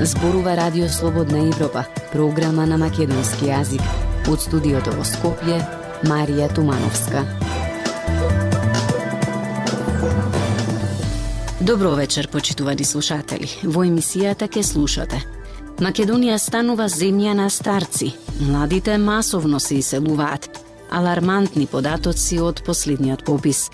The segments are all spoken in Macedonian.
Зборува Радио Слободна Европа, програма на македонски јазик. Од студиото во Скопје, Марија Тумановска. Добро вечер, почитувани слушатели. Во емисијата ке слушате: Македонија станува земја на старци. Младите масовно се иселуваат. Алармантни податоци од последниот попис.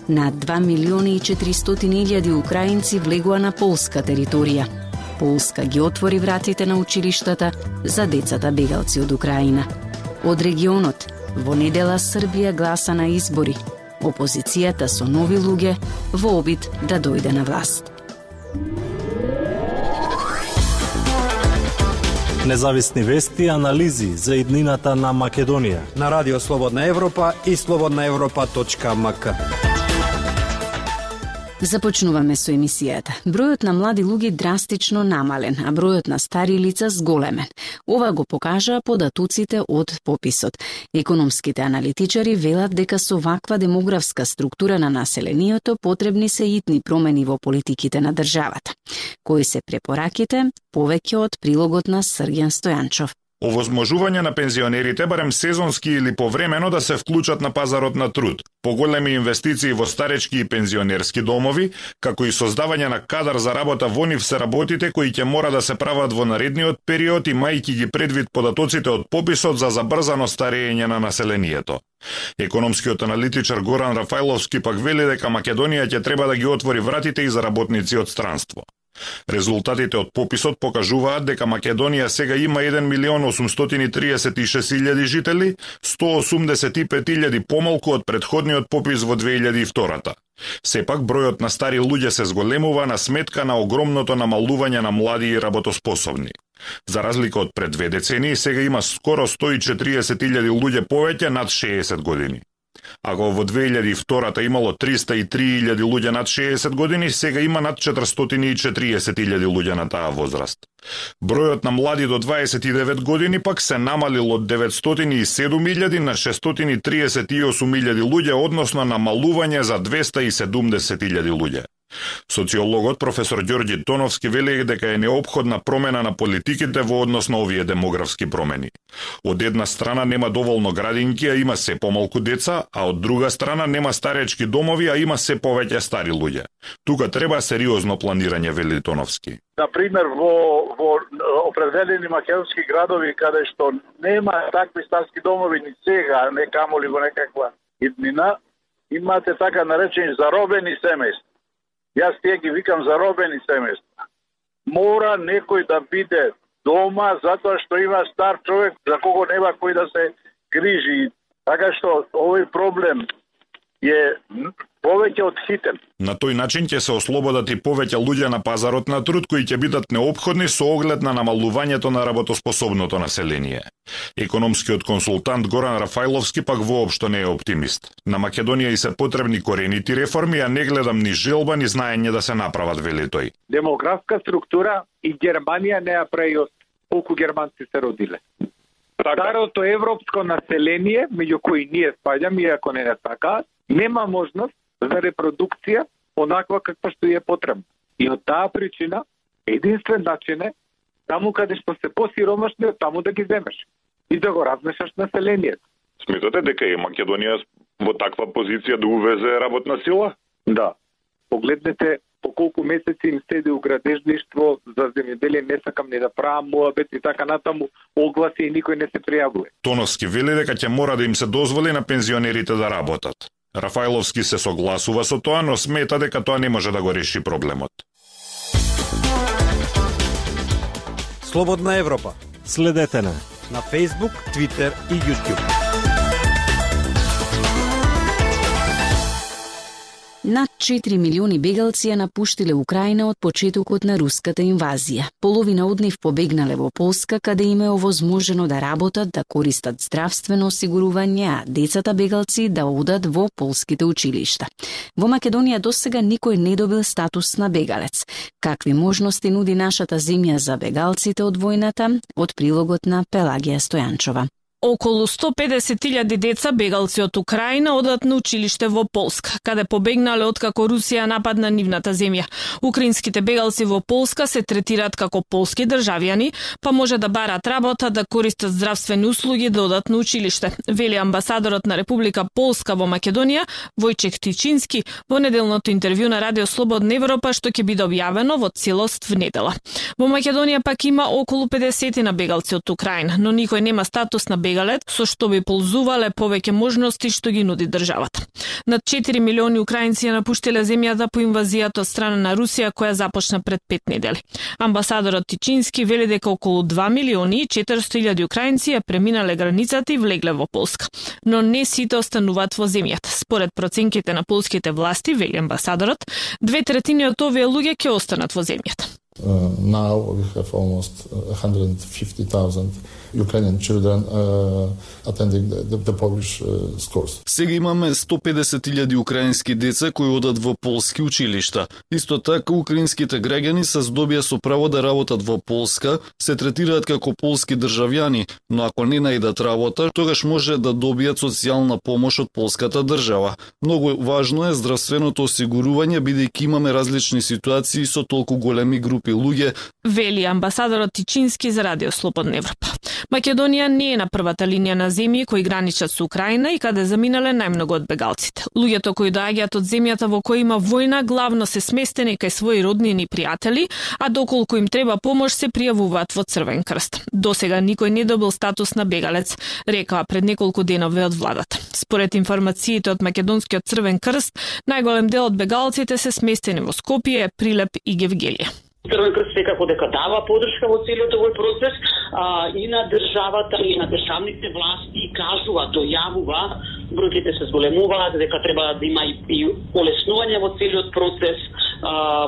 Над 2.400.000 украинци влегува на полска територија. Полска ги отвори вратите на училиштата за децата бегалци од Украина. Од регионот, во недела Србија гласа на избори. Опозицијата со нови луѓе во обид да дојде на власт. Независни вести и анализи за иднината на Македонија на Радио Слободна Европа и slobodnaevropa.mk. Започнуваме со емисијата. Бројот на млади луѓе драстично намален, а бројот на стари лица зголемен. Ова го покажаа податоците од пописот. Економските аналитичари велат дека со ваква демографска структура на населението потребни се итни промени во политиките на државата. Кои се препораките? Повеќе од прилогот на Срѓан Стојанчов. Овозможување на пензионерите барем сезонски или повремено да се вклучат на пазарот на труд, поголеми инвестиции во старечки и пензионерски домови, како и создавање на кадар за работа во нив се работите кои ќе мора да се прават во наредниот период, имајќи ги предвид податоците од пописот за забрзано старење на населението. Економскиот аналитичар Горан Рафајловски пак вели дека Македонија ќе треба да ги отвори вратите и за работници од странство. Резултатите од пописот покажуваат дека Македонија сега има 1.836.000 жители, 185.000 помалку од претходниот попис во 2002. Сепак бројот на стари луѓе се зголемува на сметка на огромното намалување на млади и работоспособни. За разлика од пред 2 децении, сега има скоро 140.000 луѓе повеќе над 60 години. Ако во 2002 имало 303.000 луѓе над 60 години, сега има над 440.000 луѓе на таа возраст. Бројот на млади до 29 години пак се намалил од 907.000 на 638.000 луѓе, односно намалување за 270.000 луѓе. Социологот професор Ѓорѓи Тоновски вели дека е неопходна промена на политиките во однос на овие демографски промени. Од една страна нема доволно градинки, а има се помалку деца, а од друга страна нема старечки домови, а има се повеќе стари луѓе. Тука треба сериозно планирање, вели Тоновски. Например, во определени македонски градови каде што нема такви старски домови ни сега, не камоли во некаква иднина, имате така наречени заробени семејства. Јас тие ги викам заробени семејства. Мора некој да биде дома затоа што има стар човек за кого нема кој да се грижи. Така што овој проблем е повеќе од хитен. На тој начин ќе се ослободат и повеќе луѓе на пазарот на труд кои ќе бидат неопходни со оглед на намалувањето на работоспособното население. Економскиот консултант Горан Рафајловски пак воопшто не е оптимист. На Македонија и се потребни коренити реформи, а не гледам ни желба ни знаење да се направат, вели тој. Демографска структура и Германија не ја прави колку германци се родиле. Старото европско население, меѓу кои ние спаѓаме, иако не е така, нема можност за репродукција онаква каква што е потребна. И од таа причина, единствен начин е таму каде што се посиромашни, таму да ги земеш и да го размешаш населението. Сметате дека е Македонија во таква позиција да увезе работна сила? Да. Погледнете по колку месеци им седи у градежништво за земјоделие, не сакам не да правам муабет и така натаму, огласи и никој не се пријавува. Тоновски вели дека ќе мора да им се дозволи на пензионерите да работат. Рафајловски се согласува со тоа, но смета дека тоа не може да го реши проблемот. Слободна Европа. Следете на Facebook, Twitter и YouTube. Над 4 милиони бегалци ја напуштиле Украина од почетокот на руската инвазија. Половина од нив побегнале во Полска, каде им е овозможено да работат, да користат здравствено осигурување, а децата бегалци да одат во полските училишта. Во Македонија досега никој не добил статус на бегалец. Какви можности нуди нашата земја за бегалците од војната? Од прилогот на Пелагија Стојанчова. Околу 150.000 деца бегалци од Украина одат на училиште во Полска, каде побегнале откако Русија нападна нивната земја. Украинските бегалци во Полска се третираат како полски државјани, па може да барат работа, да користат здравствени услуги, да одат на училиште, вели амбасадорот на Република Полска во Македонија, Војчек Тичински, во неделното интервју на Радио Слободна Европа, што ќе биде објавено во целост в недела. Во Македонија пак има околу 50 на бегалци од Украина, но никој нема статус на бегалец, со што би ползувале повеќе можности што ги нуди државата. Над 4 милиони украинци ја напуштиле земјата по инвазијата од страна на Русија, која започна пред 5 недели. Амбасадорот Тичински вели дека околу 2 милиони и 400.000 украинци ја преминале границата и влегле во Полска. Но не сите остануваат во земјата. Според проценките на полските власти, вели амбасадорот, 2/3 од овие луѓе ќе останат во земјата. Now we have almost 150,000 Ukrainian children attending the Polish schools. Сега имаме 150.000 украински деца кои одат во полски училишта. Исто така, украинските граѓани се здобија со право да работат во Полска, се третираат како полски државјани, но ако не најдат работа, тогаш може да добијат социјална помош од полската држава. Многу важно е здравственото осигурување, бидејќи имаме различни ситуации со толку големи групи луѓе, вели амбасадорот Тичински за Радио Слободна Европа. Македонија не е на првата линија на земји кои граничат со Украина и каде заминале најмногу од бегалците. Луѓето кои доаѓаат од земјата во која има војна главно се сместени кај своји роднини и пријатели, а доколку им треба помош се пријавуваат во Црвен крст. Досега никој не добил статус на бегалец, рекоа пред неколку денови од владата. Според информациите од Македонскиот Црвен крст, најголем дел од бегалците се сместени во Скопје, Прилеп и Гевгелија. Црвен крст секако дека дава поддршка во целиот овој процес и на државата и на државните власти кажува, дојавува, бројките се зголемуваат, дека треба да има и олеснување во целиот процес,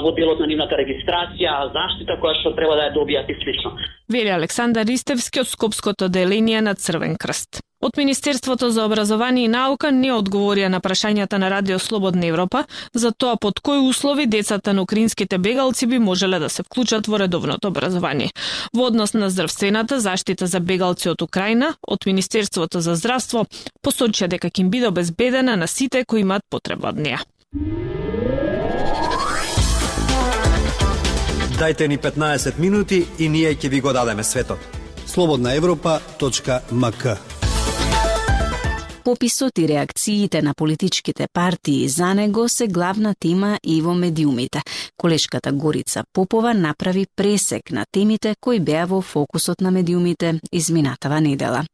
во делот на нивната регистрација, заштита која што треба да ја добијат и слично. Вели Александар Ристевски од Скопското деление на Црвен крст. Од Министерството за образование и наука не одговорија на прашањата на Радио Слободна Европа за тоа под кои услови децата на украинските бегалци би можеле да се вклучат во редовното образование. Во однос на здравствената заштита за бегалци од Украина, од Министерството за здравство посочија дека ќе им биде обезбедена на сите кои имаат потреба од неа. Дајте ни 15 минути и ние ќе ви го дадеме светот. slobodnaevropa.mk. Пописот и реакциите на политичките партии за него се главна тема и во медиумите. Колешката Горица Попова направи пресек на темите кои беа во фокусот на медиумите изминатава недела.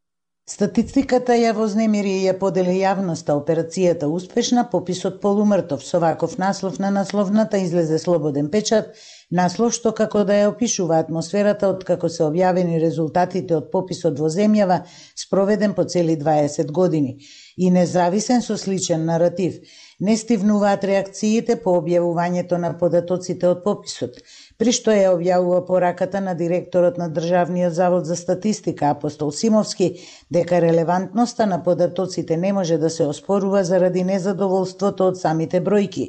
Статистиката ја вознемири и ја подели јавноста операцијата успешна, пописот полумртов. Со ваков наслов на насловната излезе Слободен печат, наслов што како да ја опишува атмосферата од како се објавени резултатите од пописот во земјава спроведен по цели 20 години и независен со сличен наратив. Не стивнуваат реакциите по објавувањето на податоците од пописот, при што ја објавува пораката на директорот на Државниот завод за статистика Апостол Симовски дека релевантноста на податоците не може да се оспорува заради незадоволството од самите бројки.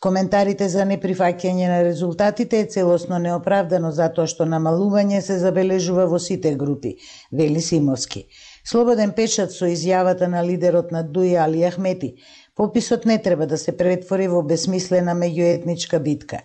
Коментарите за неприфаќање на резултатите е целосно неоправдано затоа што намалување се забележува во сите групи, вели Симовски. Слободен печат со изјавата на лидерот на ДУИ Али Ахмети. Пописот не треба да се претвори во бесмислена меѓуетничка битка.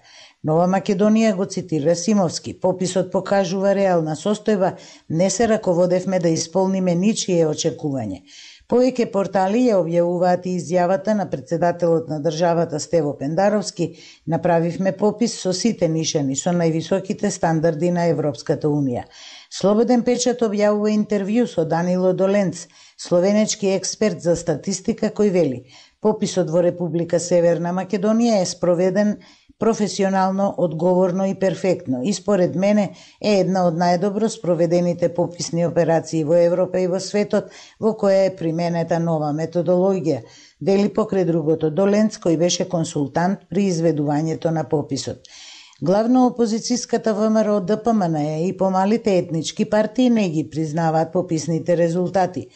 Нова Македонија го цитира Симовски. Пописот покажува реална состојба, не се раководевме да исполниме ничие очекување. Повеќе портали ја објавуваат и изјавата на председателот на државата Стево Пендаровски. Направивме попис со сите нишани, со највисоките стандарди на Европската Унија. Слободен печат објавува интервју со Данило Доленц, словенечки експерт за статистика, кој вели: пописот во Република Северна Македонија е спроведен професионално, одговорно и перфектно. И според мене е една од најдобро спроведените пописни операции во Европа и во светот, во која е применета нова методологија, вели покрај другото Доленц, кој беше консултант при изведувањето на пописот. Главно опозицијската ВМРО ДПМН и помалите етнички партии не ги признаваат пописните резултати.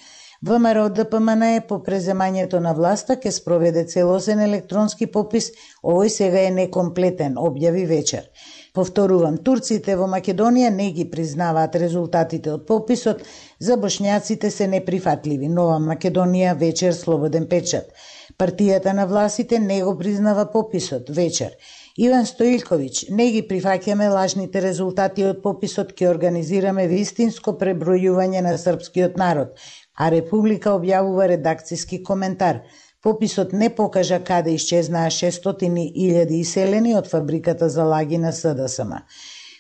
ВМРО ДПМН по преземањето на власта ке спроведе целосен електронски попис, овој сега е некомплетен, објави вечер. Повторувам, турците во Македонија не ги признаваат резултатите од пописот, за бошњаците се неприфатливи. Нова Македонија вечер слободен печат. Партијата на властите не го признава пописот вечер. Иван Стоилковиќ, не ги прифаќаме лажните резултати од пописот, ќе организираме вистинско пребројување на српскиот народ, а Република објавува редакциски коментар. Пописот не покажа каде исчезнаа 600.000 иселени од фабриката за лаги на СДСМ.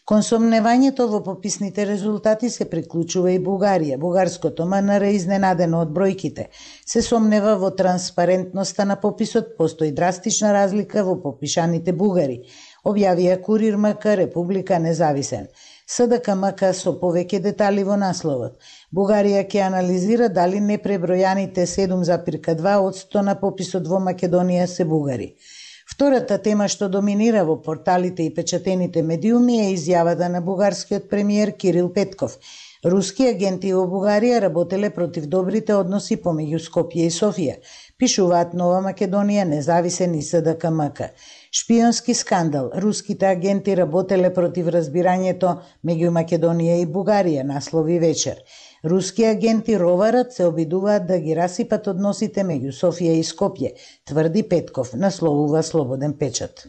Кон сомневањето во пописните резултати се приклучува и Бугарија. Бугарското МНР изненадено од бројките. Се сомнева во транспарентноста на пописот, постои драстична разлика во попишаните бугари. Објавија Курир МК, Република Независен. СДК-МК со повеќе детали во насловот. Бугарија ќе анализира дали непребројаните 7,2% на пописот во Македонија се бугари. Втората тема што доминира во порталите и печатените медиуми е изјавата на бугарскиот премиер Кирил Петков. Руски агенти во Бугарија работеле против добрите односи помеѓу Скопје и Софија, пишуваат Нова Македонија, Независен и СДК-МК. Шпионски скандал. Руските агенти работеле против разбирањето меѓу Македонија и Бугарија, наслови вечер. Руски агенти роварат, се обидуваат да ги расипат односите меѓу Софија и Скопје, тврди Петков, насловува Слободен печат.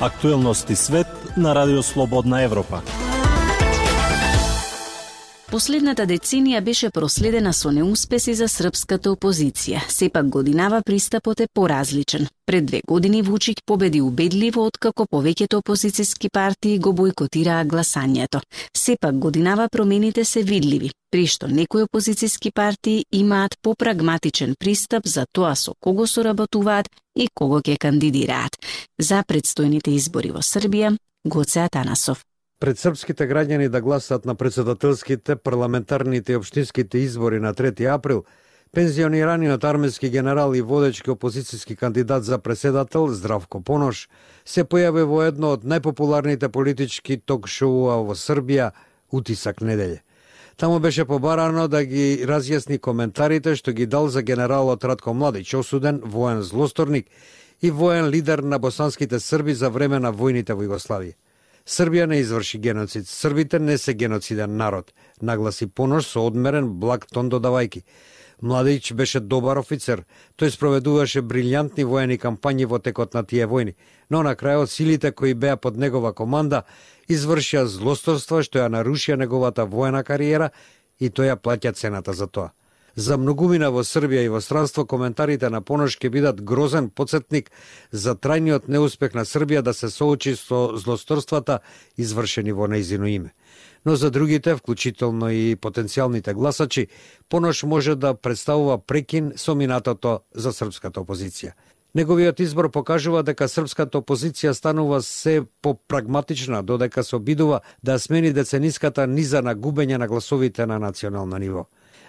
Актуелности свет на Радио Слободна Европа. Последната деценија беше проследена со неуспеси за српската опозиција. Сепак годинава пристапот е поразличен. Пред 2 години Вучиќ победи убедливо, откако повеќето опозицијски партии го бојкотираа гласањето. Сепак годинава промените се видливи, при што некои опозицијски партии имаат попрагматичен пристап за тоа со кого соработуваат и кого ќе кандидираат. За предстојните избори во Србија, Гоце Атанасов. Пред српските граѓани да гласат на претседателските, парламентарните и општинските избори на 3 април, пензионираниот армиски генерал и водечки опозицијски кандидат за претседател Здравко Понош се појави во едно од најпопуларните политички ток-шоуа во Србија, Утисак неделе. Таму беше побарано да ги разјасни коментарите што ги дал за генералот Ратко Младич, осуден воен злосторник и воен лидер на босанските срби за време на војните во Југославија. Србија не изврши геноцид. Србите не се геноциден народ, нагласи Понош со одмерен благ тон додавајки. Младич беше добар офицер. Тој спроведуваше брилјантни воени кампањи во текот на тие војни, но на крајот силите кои беа под негова команда извршија злосторства што ја нарушија неговата воена кариера и тој ја плаќа цената за тоа. За многумина во Србија и во странство коментарите на Понош ќе бидат грозен потсетник за трајниот неуспех на Србија да се соочи со злосторствата извршени во нејзино име. Но за другите, вклучително и потенцијалните гласачи, Понош може да представува прекин со минатото за српската опозиција. Неговиот избор покажува дека српската опозиција станува се попрагматична, додека се обидува да смени децениската низа на губење на гласовите на национално ниво.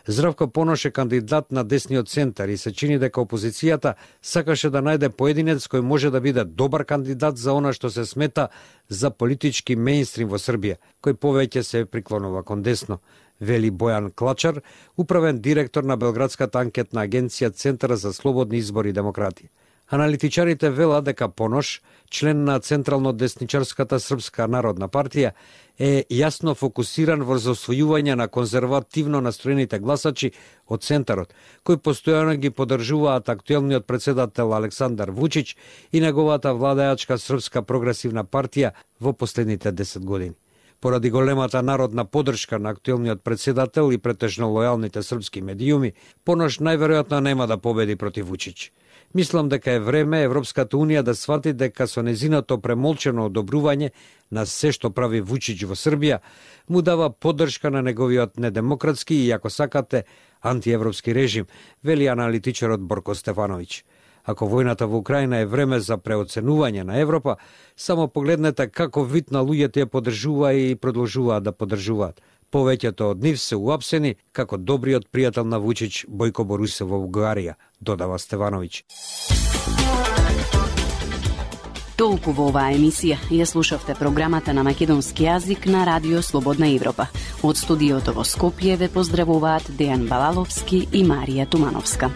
Здравко Понош е кандидат на десниот центар и се чини дека опозицијата сакаше да најде поединец кој може да биде добар кандидат за она што се смета за политички мејнстрим во Србија, кој повеќе се приклонува кон десно, вели Бојан Клачар, управен директор на Белградската анкетна агенција Центар за слободни избори и демократија. Аналитичарите велат дека Понош, член на Централно-десничарската Српска народна партија, е јасно фокусиран врз освојување на конзервативно настроените гласачи од центарот, кои постојано ги поддржуваат актуелниот претседател Александар Вучиќ и неговата владеачка Српска прогресивна партија во последните 10 години. Поради големата народна поддршка на актуелниот претседател и претежно лојалните српски медиуми, Понош најверојатно нема да победи против Вучиќ. Мислам дека е време Европската Унија да свати дека со незиното премолчено одобрување на се што прави Вучиќ во Србија, му дава поддршка на неговиот недемократски и, ако сакате, антиевропски режим, вели аналитичарот Борко Стефановиќ. Ако војната во Украина е време за преоценување на Европа, само погледнете како вид на луѓето ја поддржува и продолжуваат да поддржуваат. Повеќето од нив се уапсени како добриот пријател на Вучиќ Бојко Борусов во Бугарија, додава Стевановиќ. Толку во оваа емисија ја слушавте програмата на македонски јазик на Радио Слободна Европа. Од студиото во Скопје ве поздравуваат Дејан Балаловски и Марија Тумановска.